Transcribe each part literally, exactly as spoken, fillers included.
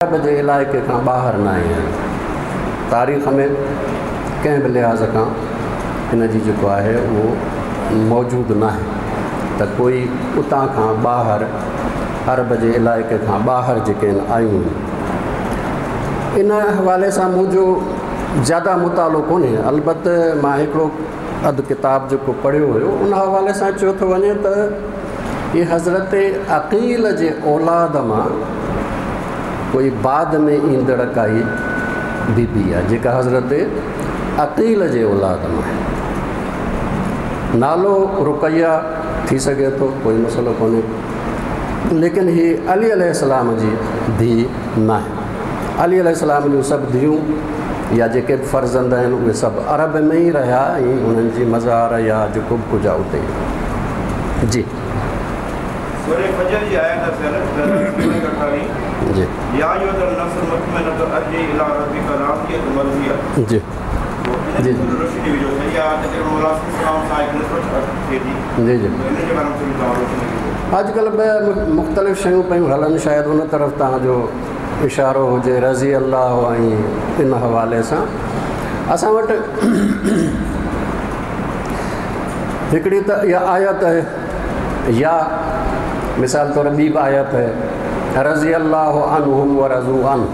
عرب جي علائقي کان ٻاهر نه آهن. تاريخ ۾ ڪنهن به لحاظ کان ان جي جيڪو آهي اهو موجود نه آهي ته ڪوئي اتان کان ٻاهر عرب جي علائقي کان ٻاهر جيڪي آهن آيون آهن. ان حوالي سان منهنجو زياده مطالعو ڪونهي، البته مان هڪڙو اڌ ڪتاب جيڪو پڙهيو هيو ان حوالي سان چيو ٿو وڃي ته هي حضرت عقيل جي اولاد مان ڪوئي بعد ۾ ايندڙ ڪائي بيبي آهي جيڪا حضرت عقيل جي اولاد مان آهي. نالو رقيه ٿي سگهي ٿو، ڪوئي مسئلو ڪونهي، ليڪن هي علي عليه السلام جي ڌيءُ نه آهي. علي عليه السلام جون سڀ ڌيئون يا جيڪي به فرزند آهن اهي سڀ عرب ۾ ئي رهيا ۽ انهن جي مزار يا جيڪو به ڪجهه آهي اتي. جي سورة فجر جي آيت جي يا ايها النفس المطمئنة ارجعي الى ربك راضية مرضية. جي جي جي جي اڄڪلهه به مختلف شيون پيون هلن، شايد ان طرف توهان جو اشارو هجي رضي الله ۽ ان حوالي سان. اسان وٽ هڪڙي ته اها آيت آهي يا مثال طور ٻي به آيت آهي رضي الله عنهم ورضوا عنه،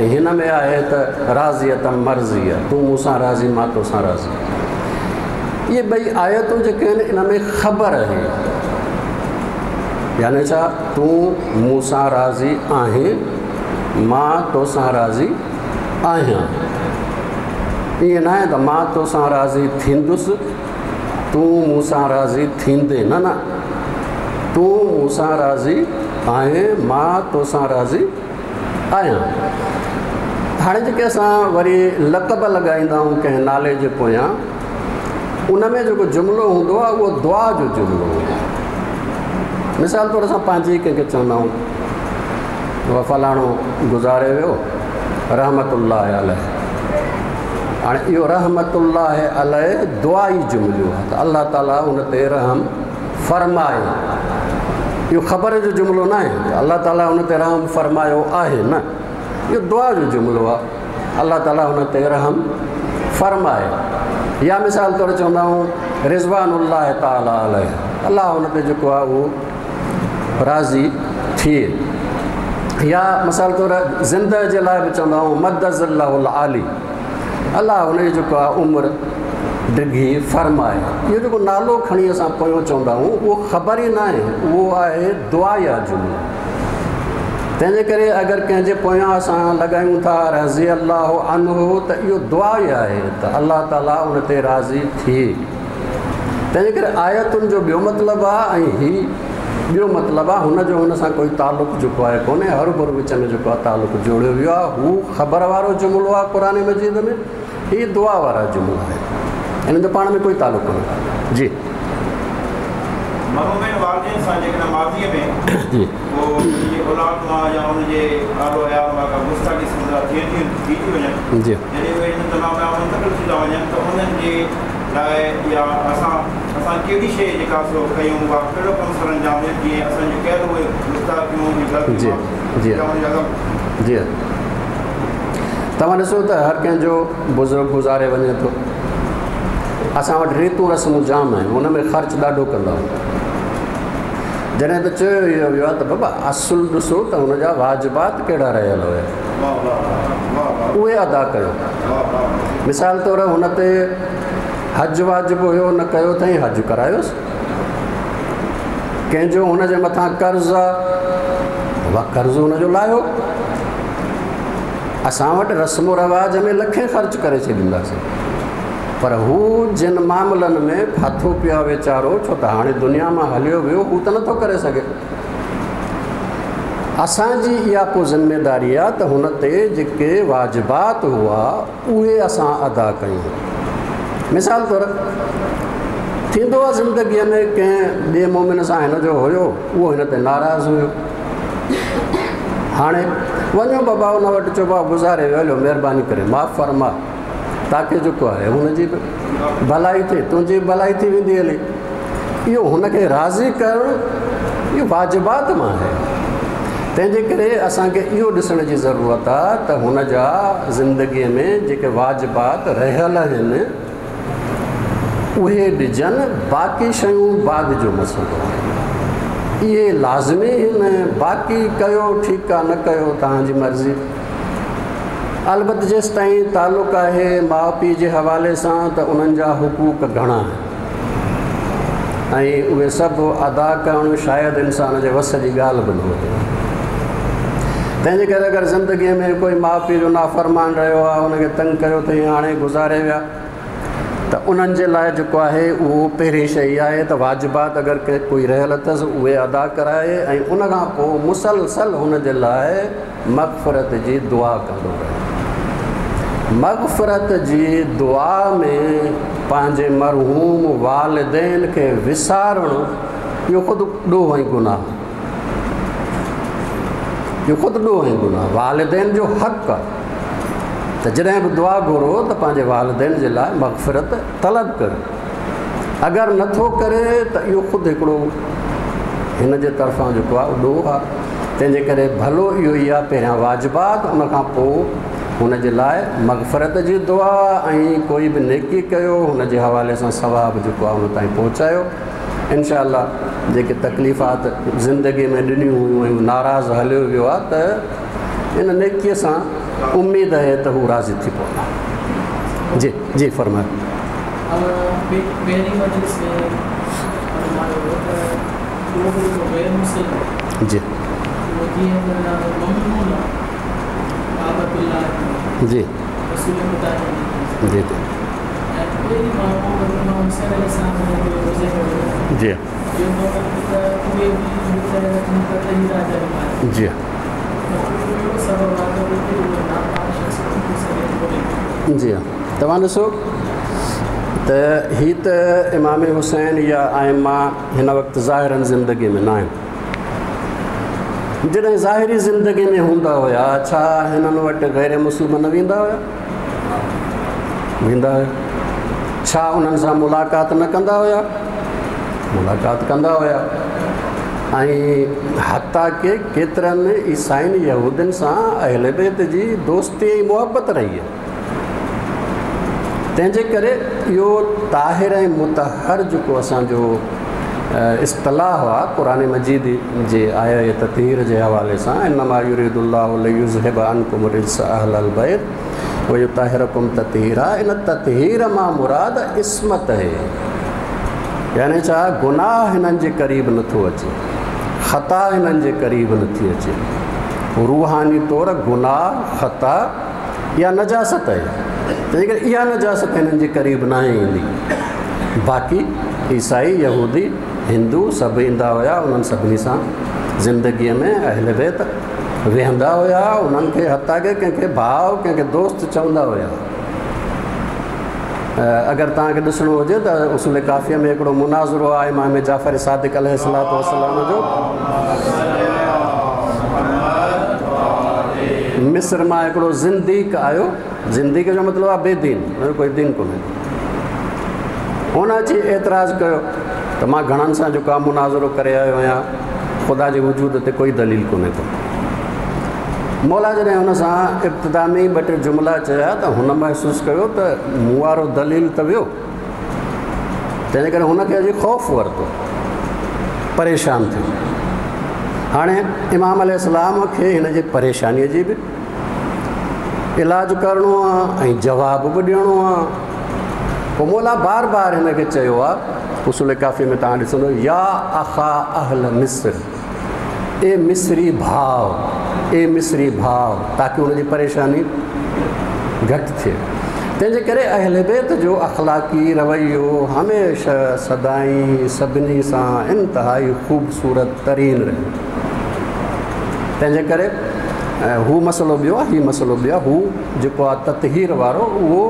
۽ هن ۾ آهي ته راضية مرضية، تون مون سان راضي مان تو سان راضي. اهي ٻئي آيتون جيڪي آهن ان ۾ خبر آهي، يعني ڇا تون مون سان راضي آهين مان تو سان راضي آهيان. ائين نه آهي ته مان تو سان راضي ٿيندس تون مون سان راضي ٿيندي، نه نه، تون مون سان راضي آهين مان تو سان راضي آهيان. هاڻي جيڪي اسان وري لقب لڳائيندا آهيون ڪنهن نالي جي پويان، ان ۾ جيڪو جملو هوندو آهي اهو دعا جو جملو هوندو آهي. مثال طور اسان پنهنجي ڪنهن کي چوندا آهيون فلاڻو گذاري ويو رحمت الله عليه. هاڻي اهو رحمت الله عليه دعائي جملو آهي ته الله تعاليٰ ان تي رحم فرمائي. اهو خبر جو جملو نه آهي ته الله تعاليٰ ان تي رحم فرمايو آهي، نه، اهو دعا جو جملو آهي الله تعاليٰ ان تي رحم فرمائي. يا مثال طور چوندا آهيون رضوان الله تعاليٰ عليه، الله ان تي جيڪو آهي اهو راضي ٿئي. يا مثال طور زنده جي لاءِ به چوندا آهيون مد ظله العالي، الله هن جي جيڪو آهي عمر ڊگهي فرمائي. اهو جيڪو نالو کڻي اسان پويون چوندا آهيون اهو خبر ئي نه آهي، اهو آهي دعا يا جملو. تنهن جي ڪري اگر ڪنهن جي پويان اسان لڳايون ٿا رضي الله عنه ته اهو دعا ئي آهي ته الله تعاليٰ ان تي راضي ٿئي. تنهن جي ڪري آيتن جو ٻيو مطلب آهي ۽ هي ٻيو مطلب آهي، هن جو هن سان ڪوئي تعلق جيڪو آهي ڪونهي، هروڀرو وچ ۾ جيڪو آهي تعلق جوڙيو ويو آهي. هو خبر وارو جملو آهي قرآن مجيد ۾، هي دعا وارا جملا آهن، هنن جو پاڻ ۾ ڪوئي تعلق ڪونهي. جي مرحومين والدين سان جيڪڏهن ماضيءَ ۾ جي پوءِ ان جي اولاد مان يا ان جي آلو عيال مان ڪا گستاخي سمجها ٿئي ٿي ٿي ٿي وڃن، جي جڏهن اهي هن دنيا ۾ منتقل ٿي ٿا وڃن ته انهن جي لاءِ يا اسان اسان ڪهڙي شيءِ جيڪا سو ڪيون يا ڪهڙو ڪم سر انجام ڏيون جيئن اسان جون ڪيل اهي گستاخيون جي غلطيون جي يا ان جا جي. توهان ڏسو ته هر ڪنهن جو بزرگ گذاري وڃي ٿو، اسان وٽ ريتون رسمون جام آهن، هن ۾ خرچ ڏاڍو ڪندا آهيون. جڏهن ته چيو اهو ويو آهي ته بابا اصل ڏسو ته هن جا واجبات ڪهڙا رهيل هئا واهه واهه واهه واهه اهي ادا ڪيو. واهه واهه. مثال طور هن تي حج واجب هيو نه ڪيو اٿئي، حج ڪرايوس. ڪنهن جو هن جي مٿان قرض آهي، بابا قرض هن جو لاهيو. اسان وٽ رسم و رواج ۾ لکين خرچ ڪري ڇڏينداسين، پر هو جن معاملن ۾ ڦاٿو پيو آهي ويچارو، ڇو ته هاڻي دنيا مان هليو ويو، هو ته نٿو ڪري سگهي. اسان جي اها پوءِ ذميداري آهي ته هن تي جيڪي واجبات هئا اهي اسان ادا ڪيون. مثال طور ٿيندو آهي زندگيءَ ۾ ڪنهن ٻئي مومن سان هن جو هيو، اهو هن تي ناراض هيو. هاڻي وڃو بابا هن وٽ، چئو بابا گذاري ويو، هليو مهرباني ڪري معاف فرما، تاڪه جيڪو آهي هن جي به ڀلائي ٿئي، تنهنجي به ڀلائي ٿي ويندي هلي. اهو هن کي راضي ڪرڻ اهو واجبات مان آهي. तंहिंजे करे असांखे इहो ॾिसण जी ज़रूरत आहे त हुन जा ज़िंदगीअ में जेके वाजिबात रहियल आहिनि उहे ॾिजनि, बाक़ी शयूं बाद जो मसइलो आहे। इहे लाज़मी आहिनि, बाक़ी कयो ठीकु आहे, न कयो तव्हांजी मर्ज़ी। अलबत जेसि ताईं तालुक़ आहे माउ पीउ जे हवाले सां त उन्हनि जा हुकूक घणा आहिनि ऐं उहे सभु अदा करणु शायदि इंसान जे वस जी ॻाल्हि बि न हुजे। तंहिंजे करे अगरि ज़िंदगीअ में कोई माउ पीउ जो नाफ़रमान रहियो आहे, हुनखे तंग कयो अथई, हाणे गुज़ारे विया, त उन्हनि जे लाइ जेको आहे उहो पहिरीं शइ आहे त वाजिबात अगरि कोई रहियल अथसि उहे अदा कराए ऐं उन खां पोइ मुसलसल हुन जे लाइ मग़फ़िरत जी दुआ कंदो रहे। मग़फ़िरत जी दुआ में पंहिंजे मरहूम वालिदैन खे विसारणु इहो ख़ुदि ॾोह ऐं गुनाह, इहो ख़ुदि ॾोह ऐं गुनाह। वालिदैन जो हक़ आहे त जॾहिं बि दुआ घुरो त पंहिंजे वालिदैन जे लाइ मग़फ़िरत तलब करो। अगरि नथो करे त इहो ख़ुदि हिकिड़ो हिन जे तरफ़ां जेको आहे ॾोह आहे। तंहिंजे करे भलो इहो ई आहे पहिरियां वाजिबात, उन खां पोइ हुन जे लाइ मग़फ़िरत जी दुआ ऐं कोई बि नेकी कयो हुन जे हवाले सां सवाब जेको आहे हुन ताईं पहुचायो। इनशा अल्लाह जेके तकलीफ़ात ज़िंदगीअ में ॾिनियूं हुयूं ऐं नाराज़ हलियो वियो आहे त इन नेकीअ सां उम्मीद आहे त हू राज़ी थी पवंदा। जी जी फरमायो। जी जी जी जी जी जी हाँ। तव्हां ॾिसो त हीअ त इमाम हुसैन या आइमा हिन वक़्तु ज़ाहिरन ज़िंदगी में न आहिनि। जॾहिं ज़ाहिरी ज़िंदगी में हूंदा हुया, छा हिननि वटि गैर मुस्लिम न वेंदा हुया? वेंदा हुया। छा उन्हनि सां मुलाक़ात न कंदा हुया? मुलाक़ात कंदा हुया। ऐं हता के केतिरनि ईसाइनि यहूदियुनि सां अहले बैत जी दोस्ती ऐं मुहबत रही आहे। तंहिंजे करे इहो ताहिर ऐं मुतहर जेको असांजो इस्तिलाह आहे क़ुरान मजीद जे आया ततीर जे हवाले सां, इन्नमा युरीदुल्लाहु लियुज़हिब अन्कुम रिज्स अहलल बैत व युताहिरकुम ततीरा, इन ततहीर मां मुराद इस्मत आहे, यानी छा गुनाह हिननि जे क़रीब नथो अचे, ख़ता हिननि जे क़रीब नथी अचे। रूहानी तौर गुनाह ख़ता या नजासत आहे, तंहिंजे करे इहा नजासत हिननि जे क़रीब न ईंदी। बाक़ी ईसाई यहूदी हिंदू सभु ईंदा हुया, उन्हनि सभिनी सां ज़िंदगीअ में अहले बैत वेहंदा हुया, उन्हनि खे हता के कंहिंखे भाउ कंहिंखे दोस्त चवंदा हुया। अगरि तव्हांखे ॾिसणो हुजे त उसूल काफ़ीअ में हिकिड़ो मुनाज़रो आहे इमाम जाफ़र सादिक अलैहिस्सलातु वस्सलाम जो। मिस्र मां हिकिड़ो ज़िंदीक आयो, ज़िंदीक जो मतिलबु आहे बेदीन, कोई दीन कोन्हे। हुन अची एतिराज़ कयो त मां घणनि सां जेको आहे मुनाज़रो करे आयो आहियां, ख़ुदा जे वजूद ते कोई दलील कोन्हे को। मौला जॾहिं हुन सां इब्तिदा में ई ॿ टे जुमिला चया त हुन महसूसु कयो त मूं वारो दलील त वियो, तंहिंजे करे हुनखे अॼु ख़ौफ़ वरितो, परेशान थियो। हाणे इमाम अलैहिस्सलाम खे हिन जे परेशानीअ जी बि इलाज करिणो आहे ऐं जवाबु बि ॾियणो आहे। पोइ मौला बार बार हिन खे चयो आहे, उसूल काफ़ी में तव्हां ॾिसंदो, या अखा अहल मिस्र, ए मिस्री भाउ, ए मिस्री भाउ, ताकि हुनजी परेशानी घटि थिए। तंहिंजे करे अहले बैत जो अख़लाक़ी रवैयो हमेशह सदाई सभिनी सां इंतिहाई ख़ूबसूरत तरीन रहियो। तंहिंजे करे हू मसइलो ॿियो आहे, हीउ मसइलो ॿियो आहे। हू जेको आहे ततहीर वारो, उहो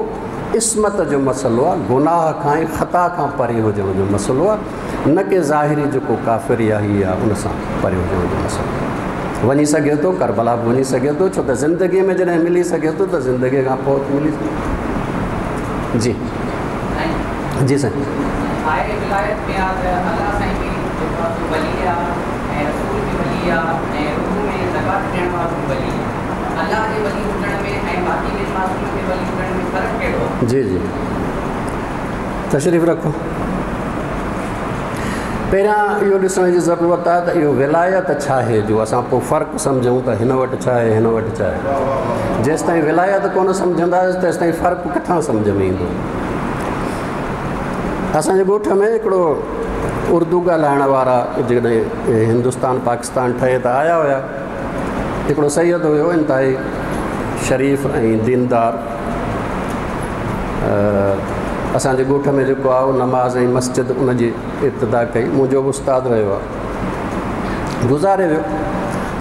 इस्मत जो मसइलो आहे, गुनाह खां ऐं ख़ता खां परे हुजण जो मसइलो आहे, न कि ज़ाहिरी जेको काफ़िर या हीअ आहे उन सां परे हुजण जो मसइलो। वञी सघे थो करबला बि वञी सघे थो, छो त ज़िंदगीअ में जॾहिं मिली सघे थो त ज़िंदगीअ खां पोइ मिली। जी जी साईं। अल्लाह साईं बि वली आहे ऐं रसूल बि वली आहे ऐं रूह में پاڪ ٿيڻ وارو ولي الله جي ولي هجڻ ۾ ۽ باقي ٻن معصومن جي ولي هجڻ ۾ فرق ڪهڙو آهي؟ جي جي تشريف رکو. پهريان اهو ڏسڻ جي ضرورت آهي ته اهو ولايت ڇا آهي، جو اسان پوءِ فرق سمجهون ته هن وٽ ڇا آهي هن وٽ ڇا آهي. جيس تائين ولايت ڪونه سمجهنداسين تيس تائين فرق ڪٿان سمجهه ۾ ايندو؟ اسان جي ڳوٺ ۾ هڪڙو اردو ڳالهائڻ وارا جڏهن هندستان پاڪستان ٺهي ته آيا هئا، هڪڙو سيد هيو انتهائي شريف ۽ ديندار. اسان جي ڳوٺ ۾ جيڪو آهي اهو نماز ۽ مسجد ان جي ابتدا ڪئي، منهنجو به استاد رهيو آهي، گذاري ويو.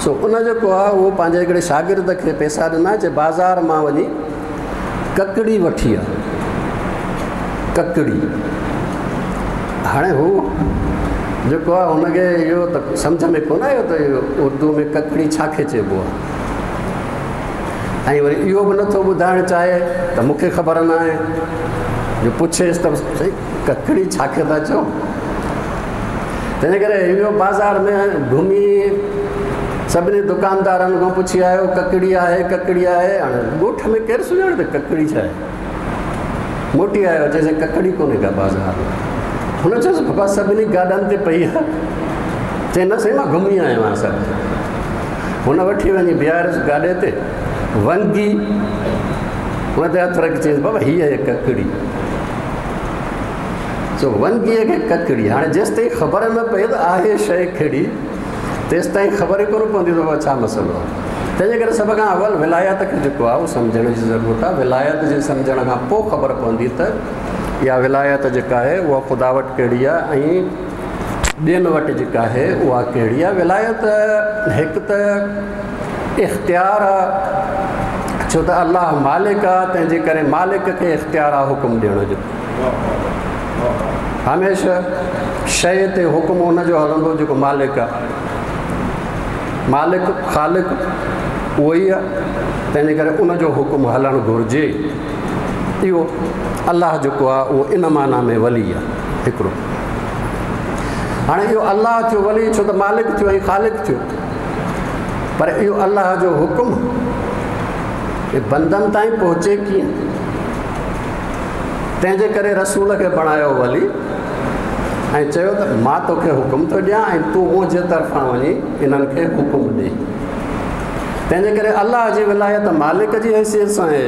سو ان جيڪو آهي اهو پنهنجي هڪڙي شاگرد کي پئسا ڏنا، چي بازار مان وڃي ڪڪڙي وٺي آهي، ڪڪڙي. هاڻي هو جيڪو آهي هن کي اهو ته سمجهه ۾ ڪونه آيو ته اهو اردو ۾ ڪڪڙي ڇا کي چئبو آهي، ۽ وري اهو به نٿو ٻڌائڻ چاهي ته مون کي خبر نه آهي، جو پڇيس ته سائين ڪڪڙي ڇا کي ٿا چئو؟ تنهن جي ڪري اهو بازار ۾ گهمي سڀني دڪاندارن کان پڇي آيو ڪڪڙي آهي ڪڪڙي آهي. هاڻي ڳوٺ ۾ ڪير سڃاڻي ته ڪڪڙي ڇا آهي؟ موٽي آيو، چئي سائين ڪڪڙي ڪونهي ڪا بازار ۾. هن چيس بابا سڀني گاڏن تي پئي آهي. چئي نه سائين مان گهمي آيو آهيان سڀ. هن وٺي وڃي بيهاريس گاڏي تي، ونگي هن تي هٿ رکي چيس بابا هيءَ آهي ڪڪڙي. سو ونگيءَ کي ڪڪڙي. هاڻي جيس تائين خبر نه پئي ته آهي شيءِ ڪهڙي تيس تائين خبر ئي ڪونه پوندي ته بابا ڇا مسئلو آهي. تنهن جي ڪري سڀ کان اول ولايت کي جيڪو آهي اهو سمجهڻ جي ضرورت آهي. ولايت جي سمجهڻ کان پوءِ خبر پوندي ته اها ولايت جيڪا آهي اها خدا وٽ ڪهڙي آهي ۽ ٻين وٽ جيڪا آهي اها ڪهڙي آهي. ولايت هڪ ته اختيار آهي، ڇو ته الله مالڪ آهي، تنهن جي ڪري مالڪ کي اختيار آهي حڪم ڏيڻ جو. هميشه شيءِ تي حڪم هن جو هلندو جيڪو مالڪ آهي. مالڪ خالق اهو ئي آهي، تنهن جي ڪري ان جو حڪم هلڻ گهرجي. اهو الله جيڪو آهي اهو ان معنيٰ ۾ ولي آهي هڪڙو. هاڻي اهو الله ٿيو ولي ڇو ته مالڪ ٿيو ۽ خالق ٿيو، پر اهو الله جو حڪم بندن تائين پهچي ڪيئن؟ تنهن جي ڪري رسول کي بڻايو ولي ۽ چيو ته مان توکي حڪم ٿو ڏيان ۽ تون منهنجي طرفان وڃي انهن کي حڪم ڏي. تنهن جي ڪري الله جي ولايت مالڪ جي حيثيت سان آهي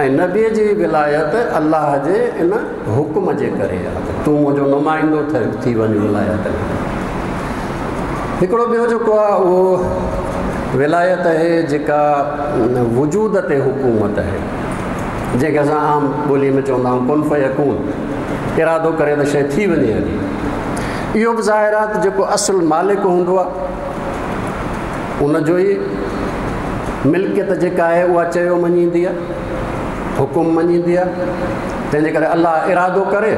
۽ نبيءَ جي ولايت الله جي ان حڪم جي ڪري آهي. تون منهنجو نمائندو ٿي وڃ ولايت ۾. هڪڙو ٻيو جيڪو آهي اهو ولايت آهي جيڪا وجود تي حڪومت آهي، جنهن کي اسان عام ٻوليءَ ۾ چوندا آهيون ڪن فيڪون، ارادو ڪري ته شيءِ ٿي وڃي هلي. اهو به ظاهر آهي ته جيڪو اصل مالڪ هوندو آهي ان جو ئي ملڪيت جيڪا آهي اها چيو مڃيندي آهي، حڪم مڃيندي آهي. تنهن جي ڪري الله ارادو ڪري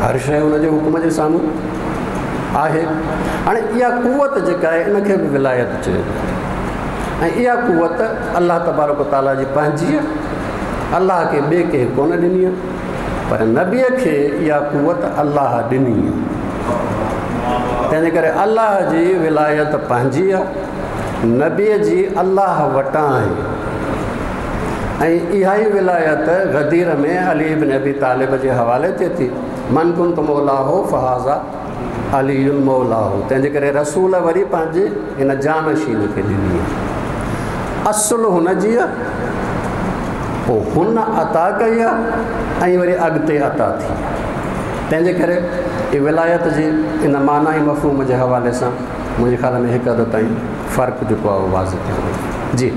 هر شيءِ هن جي حڪم جي سامهون آهي. هاڻي اها قوت جيڪا آهي ان کي به ولايت چئبو آهي ۽ اها قوت الله تبارڪ تعاليٰ جي پنهنجي آهي، الله کي ٻئي ڪنهن ڪونه ڏني آهي، پر نبيءَ کي اها قوت الله ڏني آهي. تنهن جي ڪري الله جي ولايت پنهنجي آهي، نبيءَ جي الله وٽان آهي. ۽ اها ئي ولايت غدير ۾ علي بن ابي طالب جي حوالي ٿئي ٿي، من ڪنت مولاه فهذا علي مولاه. تنهن جي ڪري رسول وري پنهنجي هن جانشين کي ڏني آهي. اصل هن جي آهي، پوءِ هن عطا ڪئي آهي ۽ وري اڳتي عطا ٿي. تنهن جي ڪري اها ولايت جي ان معنيٰ ۽ مفهوم جي حوالي سان منهنجي خيال ۾ هڪ حد تائين فرق جيڪو آهي اهو واضح ٿيو. جي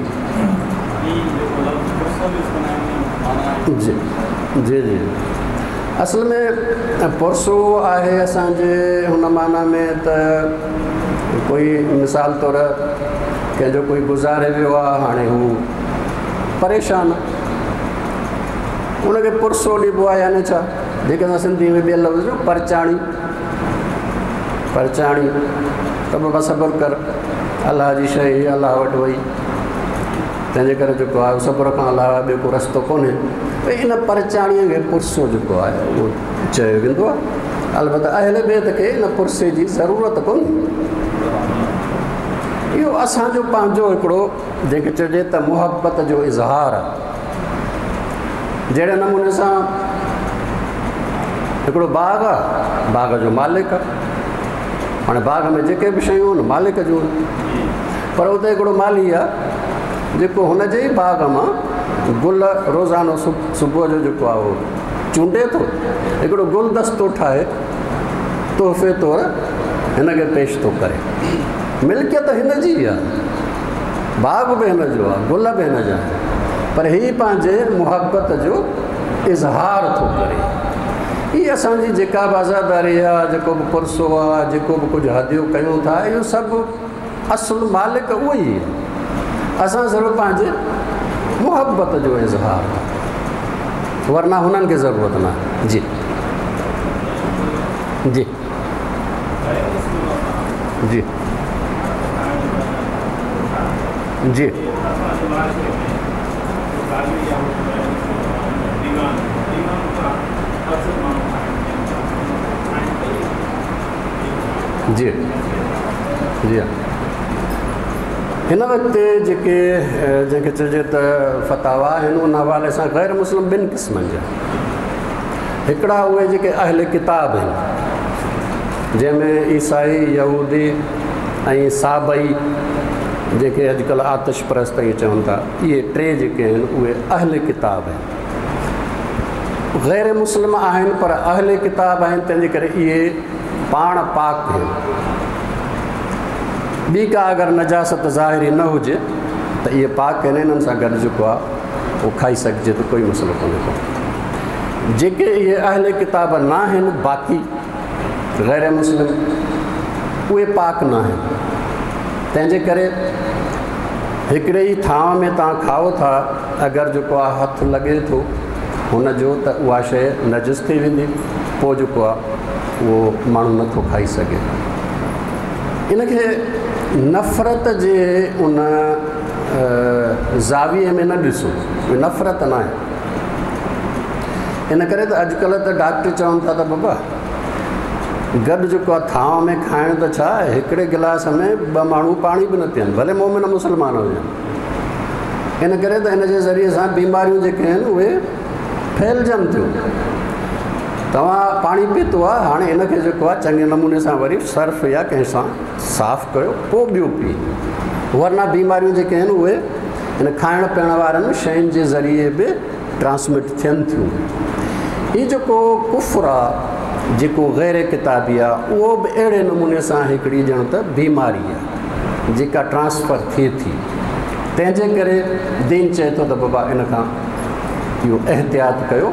جي جي جي اصل ۾ پرسو آهي اسان جي هن معنيٰ ۾ ته ڪوئي مثال طور ڪنهن جو ڪوئي گذاري ويو آهي، هاڻي هو پريشان آهي، هن کي پرسو ڏبو آهي. يعني ڇا، جيڪي اسان سنڌي ۾ ٻئي لفظ جو پرچاڻي، پرچاڻي ته بابا صبر ڪر، الله جي شيءِ الله وٽ وئي، تنهن جي ڪري جيڪو آهي صبر کان علاوه ٻيو ڪو رستو ڪونهي. ڀئي ان پرچاڻيءَ کي پرسو جيڪو آهي اهو چيو ويندو آهي. البته اهل بيت کي ان پرسي جي ضرورت ڪونهي. اهو असांजो पंहिंजो हिकिड़ो जंहिंखे चइजे त मुहबत जो इज़हार आहे। जहिड़े नमूने सां हिकिड़ो बाग़ आहे, बाग़ जो मालिक आहे, हाणे बाग़ में जेके बि शयूं आहिनि मालिक जूं आहिनि, पर उते हिकिड़ो माली आहे जेको हुन जे ई बाग़ मां गुल रोज़ानो सुबुह जो जेको आहे उहो चूंडे थो, हिकिड़ो गुलदस्तो ठाहे तोहफ़े तौर हिन खे पेश थो करे। मिल्कियत हिन जी आहे, बाग़ बि हिन जो आहे, गुल बि हिन जा आहिनि, पर हीउ पंहिंजे मुहबत जो इज़हार थो करे। हीअ असांजी जेका बि आज़ादारी आहे, जेको बि कुर्सो आहे, जेको बि कुझु हदियो कयूं था, इहो सभु असुलु मालिक उहो ई आहे। असां सिर्फ़ु पंहिंजे मुहबत जो इज़हार, वरना हुननि खे ज़रूरत न आहे। जी जी जी जी जी जी हा। हिन वक़्तु जेके जंहिंखे चइजे त फतावा आहिनि उन हवाले सां ग़ैर मुस्लिम ॿिनि क़िस्मनि जा, हिकिड़ा उहे जेके अहल किताब आहिनि, जंहिंमें ईसाई, यहूदी ऐं साबई जेके अॼुकल्ह आतिश परस्त इहे चवनि था, इहे टे जेके आहिनि उहे अहल किताब आहिनि। ग़ैर मुस्लिम आहिनि पर अहल किताब आहिनि, तंहिंजे करे इहे पाण पाक आहिनि। ॿी का अगरि नजासत ज़ाहिरी न हुजे त इहे पाक आहिनि, इन्हनि सां गॾु जेको आहे उहो खाई सघिजे थो, कोई मसइलो कोन्हे को। जेके इहे अहल किताब न आहिनि, बाक़ी ग़ैर मुस्लिम, उहे पाक न आहिनि, तंहिंजे करे हिकिड़े ई थांव में तव्हां खाओ था, अगरि जेको आहे हथु लॻे थो हुनजो त उहा शइ नजिस थी वेंदी, पोइ जेको आहे उहो माण्हू नथो खाई सघे। इनखे नफ़रत जे उन ज़ाविए में न ॾिसो, नफ़रत न आहे। इन करे त अॼुकल्ह त डॉक्टर चवनि था त बाबा गॾु जेको आहे थांव में खाइणु त छा, हिकिड़े गिलास में ॿ माण्हू पाणी बि न पीअनि, भले मोमिन मुस्लमान हुजनि। इन करे त हिन जे ज़रिए सां बीमारियूं जेके आहिनि उहे फैलिजनि थियूं। तव्हां पाणी पीतो आहे, हाणे हिनखे जेको आहे चङे नमूने सां वरी सर्फ या कंहिं सां साफ़ कयो पोइ ॿियो पी, वरना बीमारियूं जेके आहिनि उहे हिन खाइण पीअण वारनि शयुनि जे ज़रिए बि ट्रांसमिट थियनि थियूं। हीउ जेको कुफ्र आहे, जेको ग़ैर किताबी आहे, उहो बि अहिड़े नमूने सां हिकिड़ी ॼण त बीमारी आहे जेका ट्रांसफ़र थिए थी। तंहिंजे करे दीन चए थो त बाबा इन खां इहो एहतियात कयो।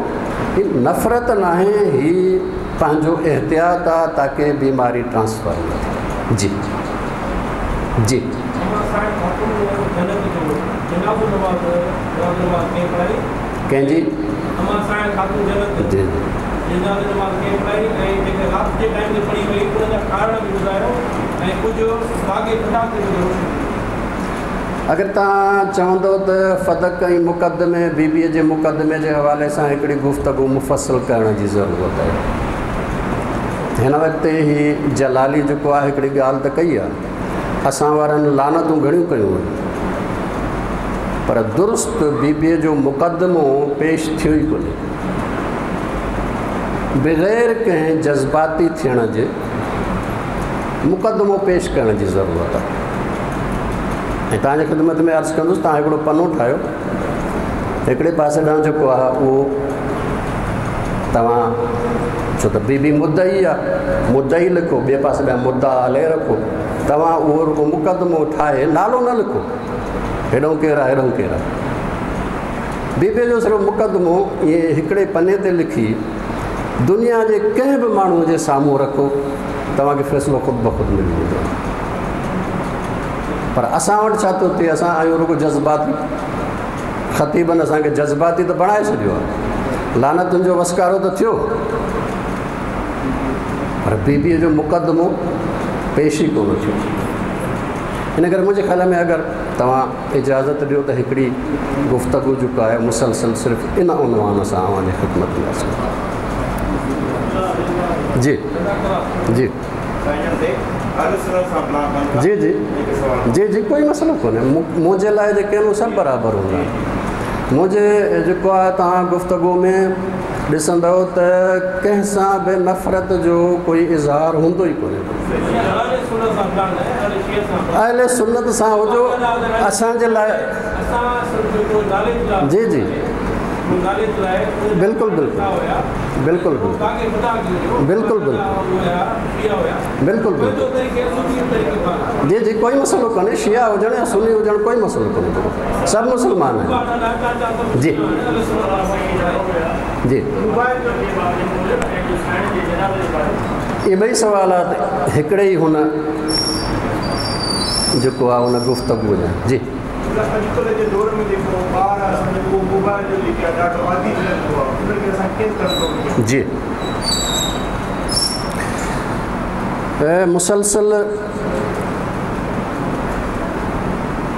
हीउ नफ़रत न आहे, हीउ पंहिंजो एहतियात आहे ताकि बीमारी ट्रांसफ़र न थिए। जी जी कंहिंजी? जी अगरि तव्हां चवंदव त फदक ऐं मुक़दमे, बीबीअ जे मुक़दमे जे हवाले सां हिकिड़ी गुफ़्तगू मुफ़सल करण जी ज़रूरत आहे। हिन वक़्तु हीउ जलाली जेको आहे हिकिड़ी ॻाल्हि त कई आहे, असां वारनि लानतूं घणियूं कयूं आहिनि, पर दुरुस्त बीबीअ जो मुक़दमो पेश थियो ई कोन्हे। बग़ैर कंहिं जज़्बाती थियण जे मुक़दमो पेश करण जी ज़रूरत आहे। ऐं तव्हांजी ख़िदमत में अर्ज़ु कंदुसि, तव्हां हिकिड़ो पनो ठाहियो, हिकिड़े पासे ॾांहुं जेको आहे उहो तव्हां, छो त बीबी मुदई आहे, मुदई लिखो, ॿिए पासे ॾांहुं मुदा हले रखो, तव्हां उहो रुॻो मुक़दमो ठाहे, नालो न लिखो, हेॾो केरु आहे हेॾो केरु आहे, बीबीअ जो सिर्फ़ु मुक़दमो ईअं हिकिड़े पने ते लिखी दुनिया जे कंहिं बि माण्हूअ जे साम्हूं रखो, तव्हांखे फ़ैसिलो ख़ुदि ब ख़ुदि मिली वेंदो। पर असां वटि छा थो थिए, असां आहियूं रुॻो जज़्बाती, ख़तीबनि असांखे जज़्बाती त बणाए छॾियो आहे, लानतुनि जो वसकारो त थियो, पर बीबीअ जो मुक़दमो पेश ई कोन थियो। इन करे मुंहिंजे ख़्याल में अगरि तव्हां इजाज़त ॾियो त हिकिड़ी गुफ़्तगू जेको आहे मुसलसल सिर्फ़ु इन उनवान सां अव्हांजी ख़िदमत में अचो। जी जी जी जी जी जी कोई मसइलो कोन्हे। मुंहिंजे लाइ जेके आहिनि उहे सभु बराबरि हूंदा आहिनि। मुंहिंजे जेको आहे तव्हां गुफ़्तगू में ॾिसंदव त कंहिंसां बि नफ़रत जो कोई इज़हार हूंदो ई कोन्हे। अहले सुन्नत सां हुजो असांजे लाइ जी जी बिल्कुलु बिल्कुलु बिल्कुलु बिल्कुलु बिल्कुलु बिल्कुलु बिल्कुलु जी जी कोई मसइलो कोन्हे। शिया हुजणु या सुन्नी हुजणु कोई मसइलो कोन्हे, सभु मुसलमान आहिनि। जी जी इहे ॿई सवालात हिकिड़े ई हुन जेको आहे हुन गुफ़्तगू जा। जी अॼुकल्ह जे दौर में जेको ॿार असांजो मोबाइल जो जेके आहे ॾाढो आदी थियल पियो आहे, उनखे असां कीअं कंट्रोल कयूं? जी मुसलसल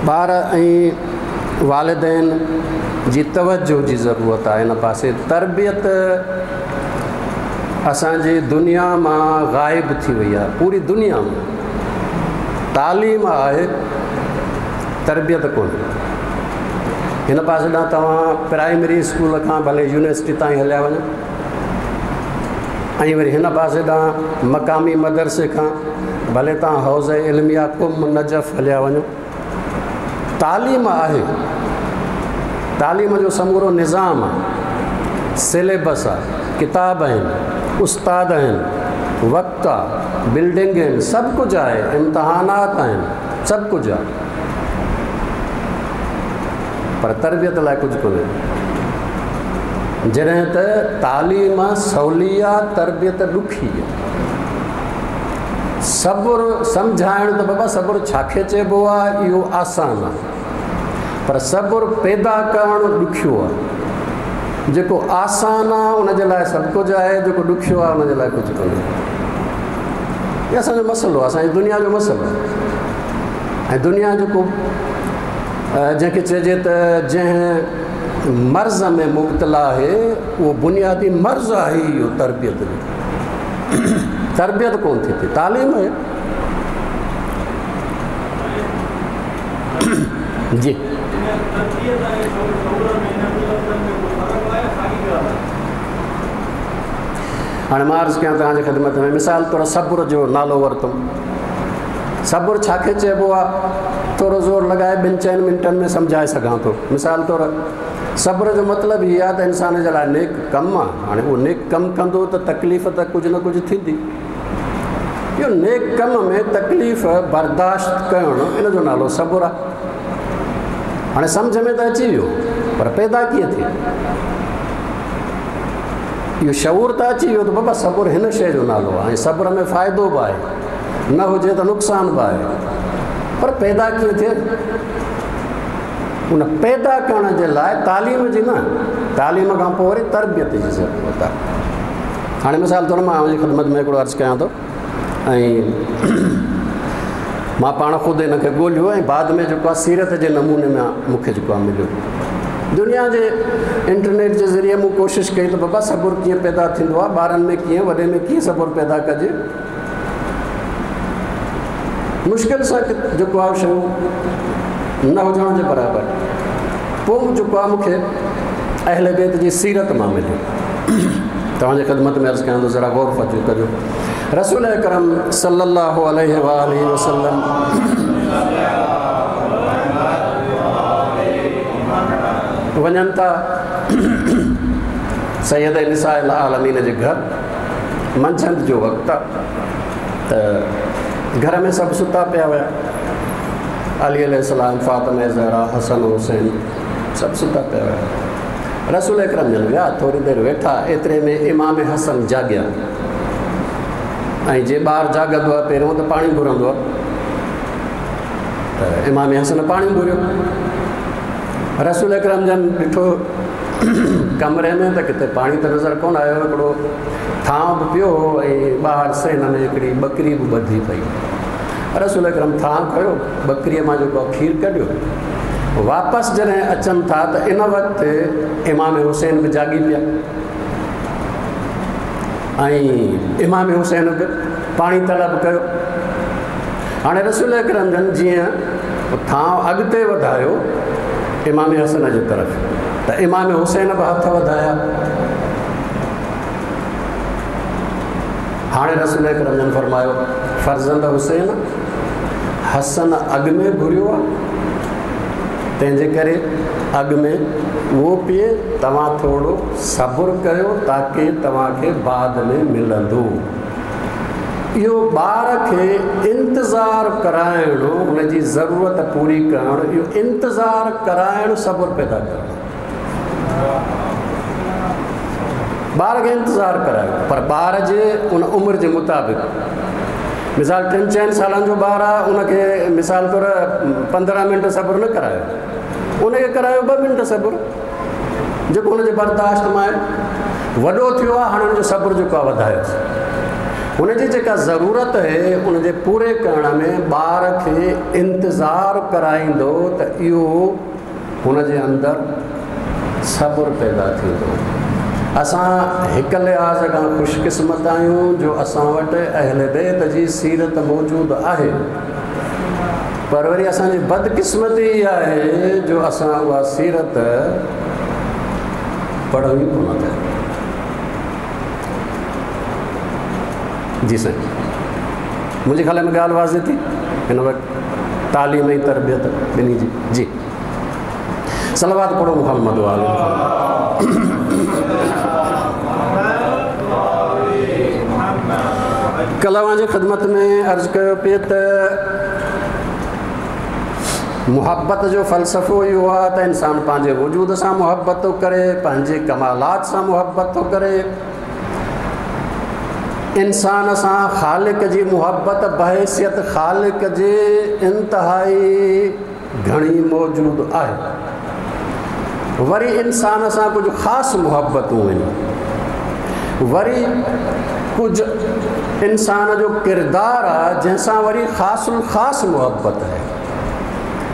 ॿार ऐं वालिदैन जी तवजो जी ज़रूरत आहे हिन पासे। तरबियत असांजी दुनिया मां ग़ाइब थी वई आहे, पूरी दुनिया में तालीम आहे, तरबियत कोन्हे। हिन पासे ॾांहुं तव्हां प्राइमरी स्कूल खां भले यूनिवर्सिटी ताईं हलिया वञो ऐं वरी हिन पासे ॾांहुं मक़ामी मदरसे खां भले तव्हां हौज़ इल्मिया कुम नजफ़ हलिया वञो, तालीम आहे, तालीम जो समूरो निज़ाम आहे, सिलेबस आहे, किताब आहिनि, उस्ताद आहिनि, वक़्तु आहे, बिल्डिंग आहिनि, सभु कुझु आहे, इम्तिहानात आहिनि, सभु कुझु आहे, पर तरबियत लाइ कुझु कोन्हे। जॾहिं त तालीम सवली आहे, तरबियत ॾुखी आहे। सब्र सम्झाइणु त बाबा सब्र छाखे चइबो आहे, इहो आसानु आहे, पर सब्र पैदा करणु ॾुखियो आहे। जेको आसानु आहे उनजे लाइ सभु कुझु आहे, जेको ॾुखियो आहे उनजे लाइ कुझु कोन्हे। इहो असांजो मसइलो आहे, असांजी दुनिया जो मसइलो आहे। ऐं दुनिया जेको जंहिंखे चइजे त जंहिं मर्ज़ में मुब्तला आहे उहो बुनियादी मर्ज़ आहे इहो तरबियत जो। तरबियत कोन थी थिए, तालीम आहे। जी हाणे मां अर्ज़ु कयां तव्हांजी ख़िदमत में, मिसाल तौरु सब्र जो नालो वरितुमि। सब्र छाखे चइबो आहे? थोरो ज़ोर लॻाए ॿिनि चइनि मिंटनि में सम्झाए सघां थो। मिसाल तौरु सब्र जो मतिलबु इहो आहे त इंसान जे लाइ नेक कमु आहे। हाणे उहो नेक कमु कंदो त तकलीफ़ त कुझु न कुझु थींदी। इहो नेक कम में तकलीफ़ बर्दाश्त करणु, इन जो नालो सब्र आहे। हाणे सम्झ में त अची वियो, पर पैदा कीअं थिए? इहो शऊर त अची वियो त बाबा सब्र हिन शइ जो नालो आहे ऐं सब्र में फ़ाइदो बि आहे, न हुजे त नुक़सानु बि आहे, पर पैदा कीअं थिए? उन पैदा करण जे लाइ तालीम जी न, तालीम खां पोइ वरी तरबियत जी ज़रूरत आहे। हाणे मिसाल तौरु मां अव्हांजी ख़िदमत में हिकिड़ो अर्ज़ु कयां थो ऐं मां पाण ख़ुदि हिनखे ॻोल्हियो ऐं बाद में जेको आहे सीरत जे नमूने में मूंखे जेको आहे मिलियो। दुनिया जे इंटरनेट जे ज़रिए मूं कोशिशि कई त बाबा सब्र कीअं पैदा थींदो आहे, ॿारनि में कीअं, वॾे में कीअं सब्र पैदा कजे। मुश्किल सां जेको आहे शयूं न हुजण जे बराबरि। पोइ जेको आहे मूंखे अहले बैत जी सीरत मां मिलियो। तव्हांजी ख़िदमत में अर्ज़ु कयां थो, ज़रा गौर फजो कजो। रसूल अकरम सल्लल्लाहु अलैहि वसल्लम वञनि था सैयद निसा आलमीन जे घर, मंझंदि जो वक़्तु आहे त घर में सभु सुता पिया हुआ। अली अलैहिस्सलाम, फ़ातिमा ज़हरा, हसन हुसैन सभु सुता पिया हुआ। रसूल अकरम जन विया, थोरी देरि वेठा, एतिरे में इमाम हसन जाॻिया ऐं जे ॿार जाॻंदो आहे पहिरियों त पाणी घुरंदो आहे, त इमाम हसन पाणी घुरियो। रसूल अकरम जन ॾिठो कमरे में त किथे पाणी त नज़र कोन आयो, हिकिड़ो थांव बि पियो हो ऐं ॿाहिरि सहन में हिकिड़ी ॿकरी बि ॿधी पई। रसूल अकरम थांव खयो, ॿकरीअ मां जेको खीर कढियो। वापसि जॾहिं अचनि था त इन वक़्तु इमाम हुसैन बि जाॻी पिया ऐं इमाम हुसैन बि पाणी तलब कयो। हाणे रसूल अकरम जन जीअं थांव अॻिते वधायो इमाम हसन जे तरफ़, त इमाम हुसैन बि हथ वधाया। हाणे रसूल अकरम जन फरमायो, फर्ज़ंद हुसैन, हसन अॻु में घुरियो आहे, तंहिंजे करे अॻु में उहो पिए, तव्हां थोरो सब्र कयो ताकी तव्हांखे बाद में मिलंदो। इहो ॿार खे इंतज़ार कराइणो, हुनजी ज़रूरत पूरी करणु, इहो इंतज़ार कराइणु सब्र पैदा करणु। ॿार खे इंतज़ार करायो, पर ॿार जे उन उमिरि जे मुताबिक़। मिसाल टिनि चइनि सालनि जो ॿार आहे, उनखे मिसाल तौरु पंद्रहं मिंट सब्र न करायो, उनखे करायो ॿ मिंट सब्र, जेको हुनजे बर्दाश्त मां आहे। वॾो थियो आहे, हाणे हुनजो सब्र जेको आहे वधायोसि। हुनजी जेका ज़रूरत आहे उनजे पूरे करण में ॿार खे इंतज़ार कराईंदो त इहो हुनजे अंदरि सब्र पैदा थींदो। असां हिकु लिहाज़ खां ख़ुशकिस्मत आहियूं जो असां वटि अहल बैत जी सीरत मौजूदु आहे, पर वरी असांजी बदकिस्मती इहा आहे जो असां उहा सीरत पढ़ूं ई कोन था। जी साईं, मुंहिंजे ख़्याल में ॻाल्हि वाज़े थी हिन वक़्तु तालीम ऐं तरबियत ॿिन्ही जी। जी सलावत पढ़ो मुहम्मद वाले। कल्ह अव्हांजी ख़िदमत में अर्ज़ु कयो पिए त मुहबत जो फ़लसफ़ो इहो आहे त इंसान पंहिंजे वजूद सां मुहबत थो करे, पंहिंजे कमालात सां मुहबत थो करे। इंसान सां ख़ालिक जी मुहबत बहैसियत ख़ालिक जे इंतिहाई घणी मौजूदु आहे। वरी इंसान सां कुझु ख़ासि मुहबतूं आहिनि, वरी कुझु इंसान जो किरदारु आहे जंहिंसां वरी ख़ासि ख़ासि मुहबत आहे।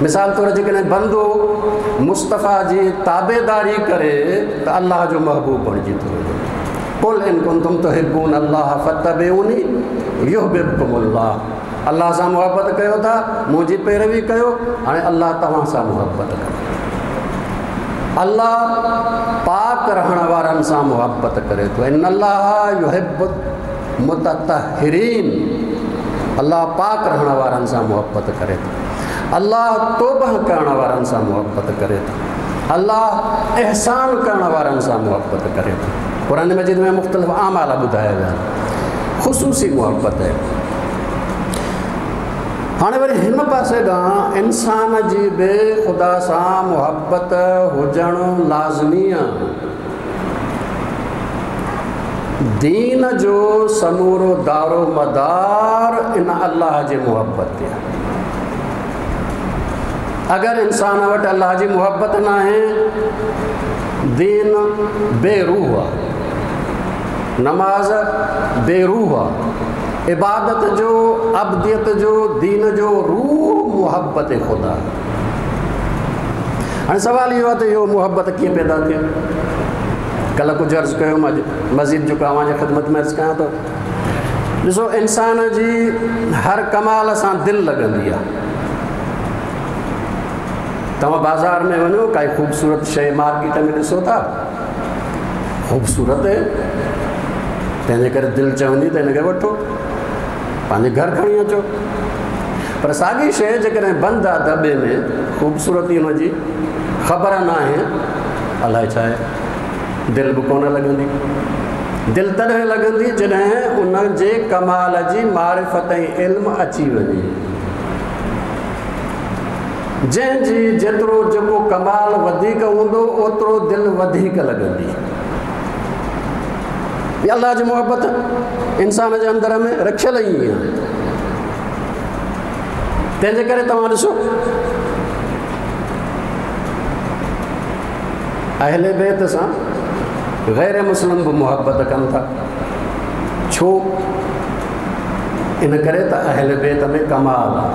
मिसाल तौरु जेकॾहिं बंदो मुस्तफ़ा जी ताबेदारी करे त अलाह जो महबूब बणिजी थो वञे। कुल इन कुंतुम तुहिब्बून अल्लाह फत्तबिऊनी युहिब्बुकुमुल्लाह। अलाह सां मुहबत कयो था, मुंहिंजी पैरवी कयो, हाणे अलाह तव्हां सां मुहबत करे। अलाह पाक रहण वारनि सां मुहबत करे थो। इन अल्लाह युहिब्बुल मुततहिरीन। अलाह पाक रहण वारनि सां मुहबत करे थो। अलाह तौबा करण वारनि सां मुहबत करे थो। अलाह एहसान करण वारनि सां मुहबत करे थो। क़ुरान मजीद में मुख़्तलिफ़ आमाल ॿुधाया विया आहिनि, ख़ुसूसी मुहबत आहे। हाणे वरी हिन पासे ॾांहुं इंसान जी बि ख़ुदा सां मुहबत हुजणु लाज़मी आहे। दीन जो समूरो दारो मदार इन अलाह जी मुहबत ते आहे। अगरि इंसान वटि अलाह जी मुहबत न आहे, दीन बेरूह आहे, नमाज़ बेरूह आहे, इबादत जो, अबदियत जो, दीन जो रूह मुहबत ख़ुदा। हाणे सवालु इहो आहे त इहो मुहबत कीअं पैदा थिए? कल्ह कुझु अर्ज़ु कयो, मां मज़ीद जेको तव्हांजी ख़िदमत में अर्ज़ु कयां थो। ॾिसो, इंसान जी हर कमाल सां दिलि लॻंदी आहे। तव्हां बाज़ार में वञो, काई ख़ूबसूरत शइ मार्केट में ॾिसो था, ख़ूबसूरत आहे, तंहिंजे करे दिलि चवंदी त हिनखे वठो, पंहिंजे घर खणी अचो। पर साॻी शइ जेकॾहिं बंदि आहे दॿे में, ख़ूबसूरती हुनजी ख़बर न आहे, अलाए छा आहे, दिलि बि कोन लॻंदी। दिलि तॾहिं लॻंदी जॾहिं उनजे कमाल जी मारिफ़त ऐं इल्मु अची वञे। जंहिंजी जेतिरो जेको कमाल वधीक हूंदो, ओतिरो दिलि वधीक लॻंदी। अलाह जी मुहबत इंसान जे अंदरि में रखियल ई आहे। तंहिंजे करे तव्हां ॾिसो, अहले बैत सां गैर मुस्लिम बि मुहबत कनि था। छो? इन करे त अहले बैत में कमाल आहे।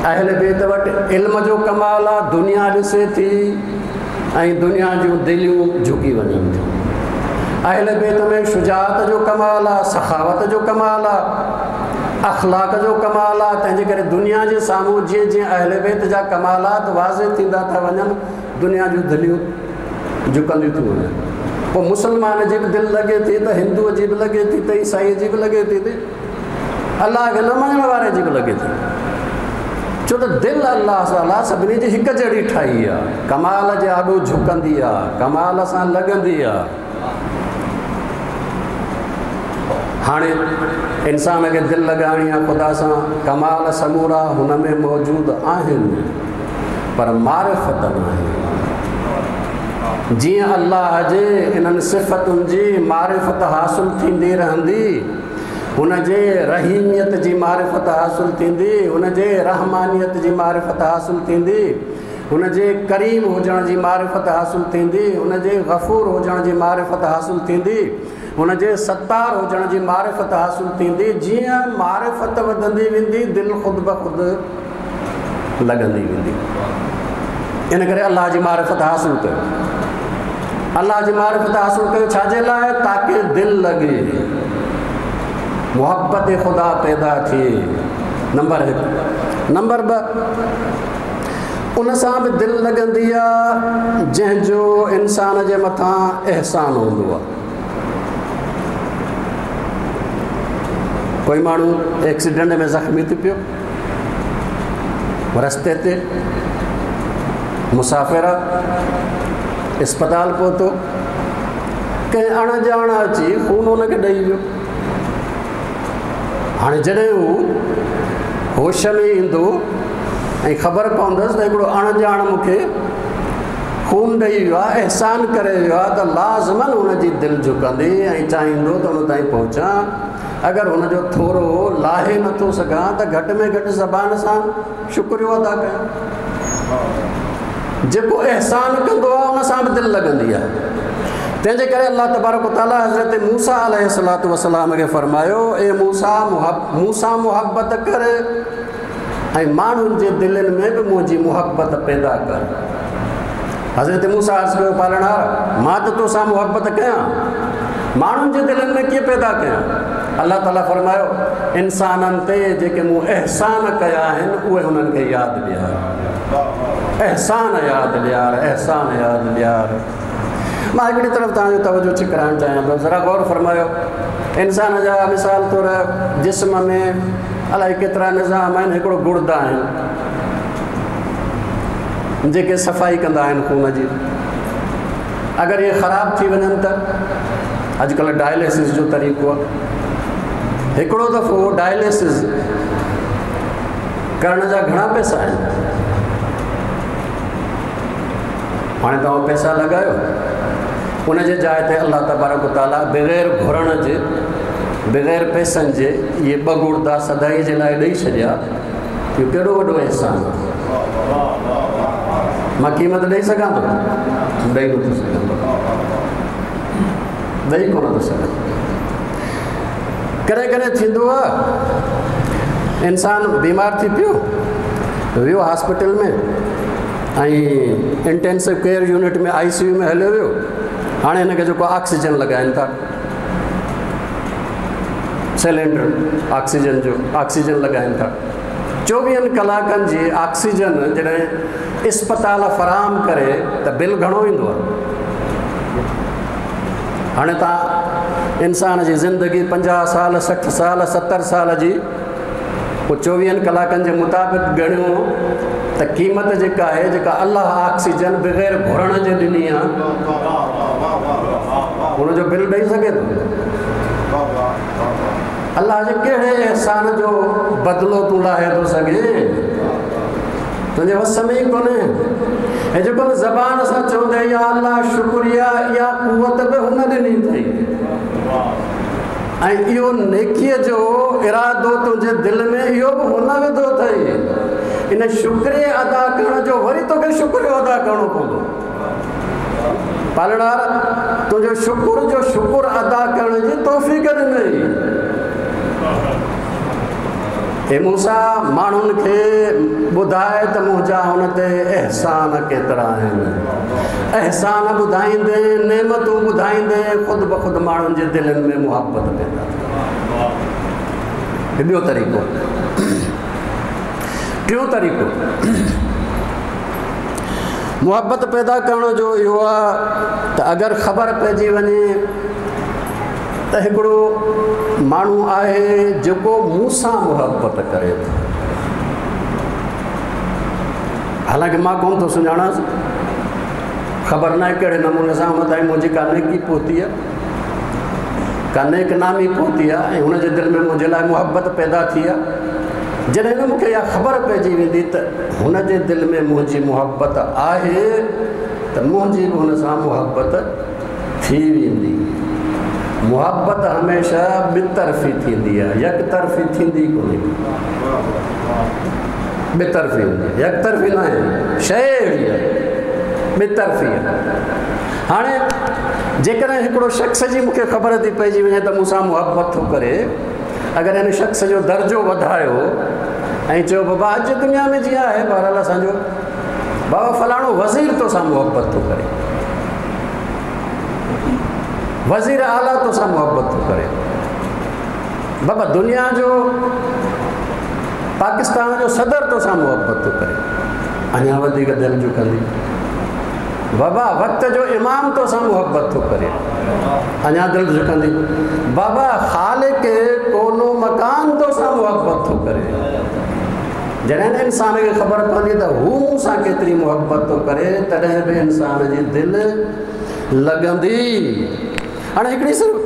अहले बैत वटि इल्म जो कमाल आहे, दुनिया ॾिसे थी ऐं दुनिया जूं दिलियूं झुकी वञनि थियूं। अहले बैत में शुजाअत जो कमाल आहे, सखावत जो कमाल आहे। अख़लाक जो कमाल आहे। तंहिंजे करे दुनिया जे साम्हूं जीअं जीअं अहल बैत जा कमालात वाज़े थींदा था वञनि, दुनिया जूं दिलियूं झुकंदियूं थियूं वञनि। पोइ मुसलमान जी बि दिलि लॻे थी त हिंदूअ जी बि लॻे थी त ईसाईअ जी बि लॻे थी त अलाह खे न मञण वारे जी बि लॻे थी। छो त दिलि अलाह ताला सभिनी जी हिकु जहिड़ी ठाही आहे, कमाल जे आॾो झुकंदी आहे, कमाल सां लॻंदी आहे। हाणे इंसान खे दिलि लॻाइणी आहे ख़ुदा सां, कमाल समूरा हुन में मौजूदु आहिनि, पर मारिफ़त न आहे। जीअं अलाह जे इन्हनि सिफ़तुनि जी मारिफ़त हासिल थींदी रहंदी, हुनजे रहीमियत जी मारिफ़त हासिल थींदी, हुनजे रहमानियत जी मारिफ़त हासिल थींदी, हुनजे करीम हुजण जी मारिफ़त हासिल थींदी, हुनजे गफ़ूर हुजण जी मारिफ़त हासिल थींदी, हुनजे सत्तार हुजण जी मारिफ़त हासिल थींदी। जीअं मारिफ़त वधंदी वेंदी, दिलि ख़ुदि ब ख़ुदि लॻंदी वेंदी। इन करे अलाह जी मारिफ़त हासिल कयो, अलाह जी मारिफ़त हासिल कयो छाजे लाइ? ताकि दिलि लॻे, मोहब्बत ख़ुदा पैदा थिए। नंबर हिकु। नंबर ॿ, उन सां बि दिलि लॻंदी आहे जंहिंजो इंसान जे मथां अहसान हूंदो आहे। कोई माण्हू एक्सीडेंट में ज़ख़्मी थी पियो, रस्ते ते मुसाफ़िर आहे, अस्पताल पहुतो, कंहिं अणॼाण अची खून हुनखे ॾेई वियो। हाणे जॾहिं हू होश में ईंदो ऐं ख़बर पवंदसि त हिकिड़ो अणॼाण मूंखे खून ॾेई वियो आहे, अहसान करे वियो आहे, त लाज़मन हुनजी दिलि झुकंदी ऐं चाहींदो त हुन ताईं पहुचां। अगरि हुनजो थोरो लाहे नथो सघां त घटि में घटि ज़बान सां शुक्रियो अदा कयां। जेको अहसान कंदो आहे हुन सां बि दिलि लॻंदी आहे। तंहिंजे करे अलाह तबारक ताला हज़रत मूसा अलैहिस्सलातु वस्सलाम खे फ़रमायो, ए मूसा, मूंसां मुहबत कर ऐं माण्हुनि जे दिलनि में बि मुंहिंजी मुहबत पैदा कर। हज़रत मूसा अर्ज़ कयो, पालणहार, मां त तोसां मुहबत कयां, माण्हुनि जे दिलनि में कीअं पैदा कयां? अलाह ताला फ़रमायो, इंसाननि ते जेके मूं अहसान कया आहिनि उहे हुननि खे यादि ॾियार, अहसान यादि ॾियार, अहसान यादि ॾियार। मां हिकिड़ी तरफ़ तव्हांजो तवजो छिकराइणु चाहियां थो, ज़रा गौर फ़रमायो। इंसान जा मिसाल तौरु जिस्म में अलाए केतिरा निज़ाम आहिनि, हिकिड़ो गुर्दा आहिनि जेके सफ़ाई कंदा आहिनि खून जी। अगरि इहे ख़राबु थी वञनि त अॼुकल्ह डायलिसिस जो तरीक़ो आहे। हिकिड़ो दफ़ो डायलिसिस करण जा घणा पैसा आहिनि। हाणे तव्हां पैसा लॻायो, उनजे जाइ ते अलाह तबारक ताला बग़ैर घुरण जे, बग़ैर पैसनि जे इहे ॿ गुर्दा सदाई जे लाइ ॾेई छॾिया। इहो केॾो वॾो अहसान आहे। मां क़ीमत ॾेई सघां थो? ॾेई नथो सघां, ॾेई कोन थो सघां। कॾहिं कॾहिं थींदो आहे इंसान बीमार थी पियो, वियो हॉस्पिटल में ऐं इंटेंसिव केयर यूनिट में, आई सी you में हलियो वियो। हाणे हिनखे जेको ऑक्सीजन लॻाइनि था, सिलेंडर ऑक्सीजन जो, ऑक्सीजन लॻाइनि था। चोवीहनि कलाकनि जी ऑक्सीजन जॾहिं अस्पताल फराहम करे त बिल घणो ईंदो आहे। हाणे तव्हां इंसान जी ज़िंदगी पंजाह साल, सठि साल, सतरि साल जी, पोइ चोवीहनि कलाकनि जे मुताबिक़ ॻणियो त क़ीमत जेका आहे, जेका अलाह ऑक्सीजन बग़ैर घुरण जे ॾिनी आहे, हुनजो बिल ॾेई सघे थो? अलाह जे कहिड़े अहसान जो बदिलो तूं लाहे थो सघे? तुंहिंजे वस में ई कोन्हे। ऐं जेको ज़बान सां चवंदे या अलाह शुक्रिया, इहा कुवत बि हुन ॾिनी अथई। ऐं इहो नेकीअ जो इरादो तुंहिंजे दिलि में इहो बि हुन विधो अथई। इन शुक्रिए अदा करण जो वरी तोखे शुक्रियो अदा करिणो पवंदो। पालणहार तुंहिंजो शुक्र जो शुक्र अदा करण जी तौफ़ीक़ ॾिनई। हे मूसा, माण्हुनि खे ॿुधाए त मुंहिंजा हुन ते अहसान केतिरा आहिनि। अहसान ॿुधाईंदे, नेमतूं ॿुधाईंदे, ख़ुदि ब ख़ुदि माण्हुनि जे दिलनि में मुहबत पैदा थी। ॿियो तरीक़ो। टियों तरीक़ो मुहबत पैदा करण जो इहो आहे त अगरि ख़बर पइजी वञे त हिकिड़ो माण्हू आहे जेको मूंसां मुहबत करे थो, हालांकि मां कोन थो सुञाणांसि, ख़बर न आहे कहिड़े नमूने सां हुन ताईं मुंहिंजी का नेकी पहुती आहे, का नेक नामी पहुती आहे ऐं हुनजे दिलि में मुंहिंजे लाइ मुहबत पैदा थी आहे। जॾहिं बि मूंखे इहा ख़बर पइजी वेंदी त हुनजे दिलि में मुंहिंजी मुहबत आहे त मुंहिंजी बि हुन सां मुहबत थी वेंदी। मुहबत हमेशह ॿितरफ़ी थींदी आहे, यकतरफ़ी थींदी कोन्हे, ॿितरफ़ी हूंदी आहे, यकतरफ़ी न आहे, शइ अहिड़ी आहे, ॿितरफ़ी आहे। हाणे जेकॾहिं हिकिड़ो शख़्स जी मूंखे ख़बर थी पइजी वञे त मूंसां मुहबत थो करे, अगरि हिन शख़्स जो दर्जो वधायो ऐं चयो बाबा अॼु दुनिया में जीअं आहे बहरहाल असांजो बाबा फलाणो वज़ीर तोसां मुहबत थो करे, वज़ीर आला तोसां मुहबत थो करे, बाबा दुनिया जो पाकिस्तान जो सदर तोसां मुहबत थो करे, अञा वधीक दिलि झुकंदी। बाबा वक़्त जो इमाम तोसां मुहबत थो करे, अञा दिलि झुकंदी। बाबा ख़ालिक़ कोनो मकान तोसां मुहबत थो करे। जॾहिं इंसान खे ख़बर पवंदी त हू मूंसां केतिरी मुहबत थो करे, तॾहिं बि इंसान जी दिलि लॻंदी। हाणे हिकिड़ी सिर्फ़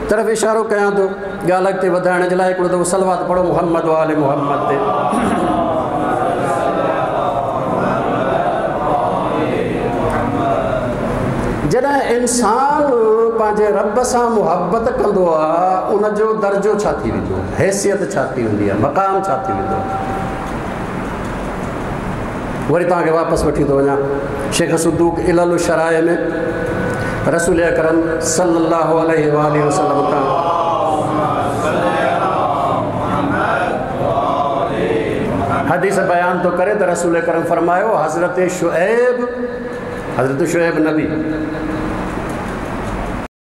तरफ़ इशारो कयां थो ॻाल्हि अॻिते वधाइण जे लाइ, हिकिड़ो दफ़ो सलवात पढ़ो मोहम्मद वाले मोहम्मद ते। जॾहिं इंसान पंहिंजे रब सां मुहबत कंदो आहे, उनजो दर्जो छा थी वेंदो आहे, हैसियत छा थी वेंदी आहे, मक़ाम छा थी वेंदो आहे। वरी तव्हांखे वापसि वठी थो वञा, शेख सदूक इलल शराए में रसूल अकरम सल्लल्लाहु अलैहि वसल्लम खां हदीस बयान थो करे त रसूल अकरम फरमायो, हज़रत शुएब, हज़रत शुएब नबी